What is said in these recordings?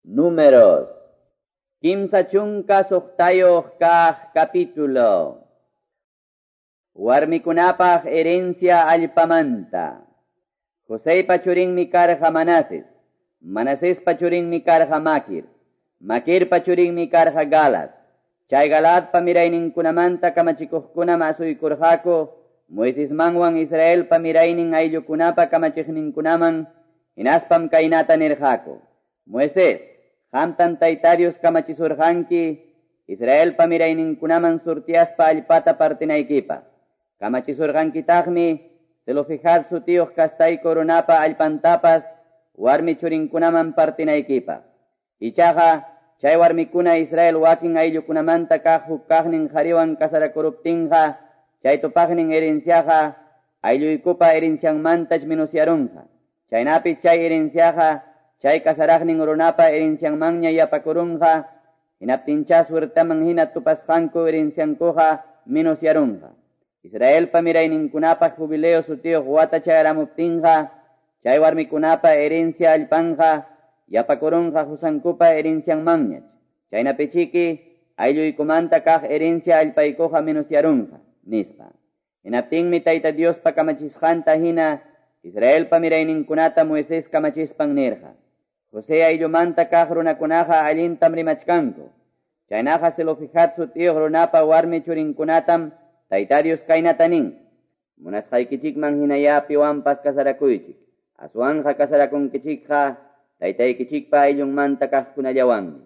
Números. 36 kaq capítulo. Warmikunapaq herencia allpamanta. Joseypa churinmi karqa Manases. Manasespa churinmi karqa Maquir. Maquirpa churinmi karqa Galad. Chay Galadpa mirayninkunamanta kamachikuqkunam asuykurqaku Moisesmanwan Israelpa miraynin ayllukunapa kamachiqninkunaman hinaspam kaynata nirqaku. Moisés, qamtam Tayta Dios kamachisurqanki Israelpa mirayninkunaman surtiaspa allpata partinaykipaq. Kamachisurqankitaqmi Zelofehad sutiyuq kastayku runapa allpantapas warmi churinkunaman partinaykipaq. Ichaqa chay warmikuna Israel wakin ayllukunamanta kaq huk kaqnin qhariwan kasarakuruptinqa chay tupaqnin herenciaqa aylluykupa herencianmantach menusyarunqa. Chaynapi chay herenciaqa chay kasaraqnin runapa herencianmanña yapakurunqa, hinaptincha suertaman hina tupasqanku herenciankuqa menusyarunqa. Israelpa mirayninkunapaq jubileo sutiyuq wata chayaramuptinqa, chay warmikunapa herencia allpanqa yapakurunqa qusankupa herencianmanñach. Chaynapichiki aylluykumanta kaq herencia allpaykuqa menusyarunqa, nispa. Hinaptinmi Tayta Diospa kamachisqanta hina Israelpa mirayninkunata Moisés kamachispan nirqa. José ayllumanta kaq runakunaqa allintam rimachkanku. Chaynaqa Zelofehad sutiyuq runapa warmi churinkunatam Tayta Dios kaynata nin. Munasqaykichikman hinaya piwanpas kasarakuychik. Aswanqa kasarakunkichikqa taytaykichikpa ayllunmanta kaqkunallawanmi.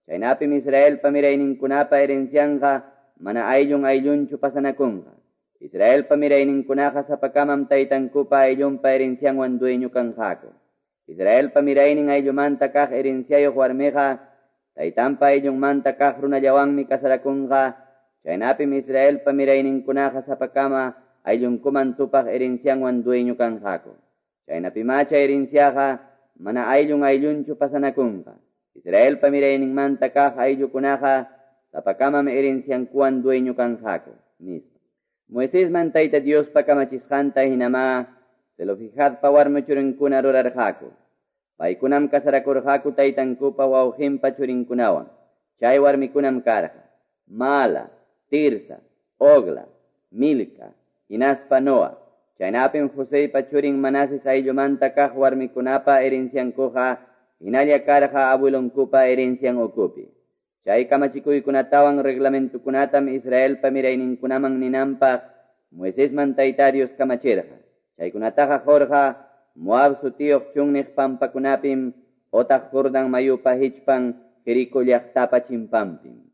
Chaynapim Israelpa mirayninkunapa herencianqa mana ayllun ayllunchu pasanakunqa. Israelpa mirayninkunaqa sapakamam taytankupa ayllunpa herencianwan dueño kanqaku. Israelpa miraynin ayllumanta kaq herenciayuq warmiqa taytanpa ayllunmanta kaq runallawanmi kasarakunqa. Chaynapim Israelpa mirayninkunaqa sapakama ayllunkuman tupaq herencianwan dueño kanqaku. Chaynapima chay herenciaqa mana ayllun ayllunchu pasanakunqa. Israelpa mirayninmanta kaq ayllukunaqa sapakamam herenciankuwan dueño kanqaku, nispa. Moisesman Tayta Diospa kamachisqanta hinama Zelofehadpa warmi churinkuna rurarqaku. Paykunam kasarakurqaku taytankupa wawqinpa churinkunawan. Chay warmikunam karqa Mala, Tirsa, Ogla, Milca, hinaspa Noa. Chaynapim Joseypa churin Manases ayllumanta kaq warmikunapa herenciankuqa hinalla karqa abuelonkupa herencian ukupi. Chay kamachikuykunatawan reglamentukunatam Israelpa mirayninkunaman ninanpaq Moisesman Tayta Dios kamachirqa. Chaykunataqa qurqa Moab sutiyuq chunniq pampakunapim otaq Jordan mayupa hichpan Jerico llaqtapa chimpanpim.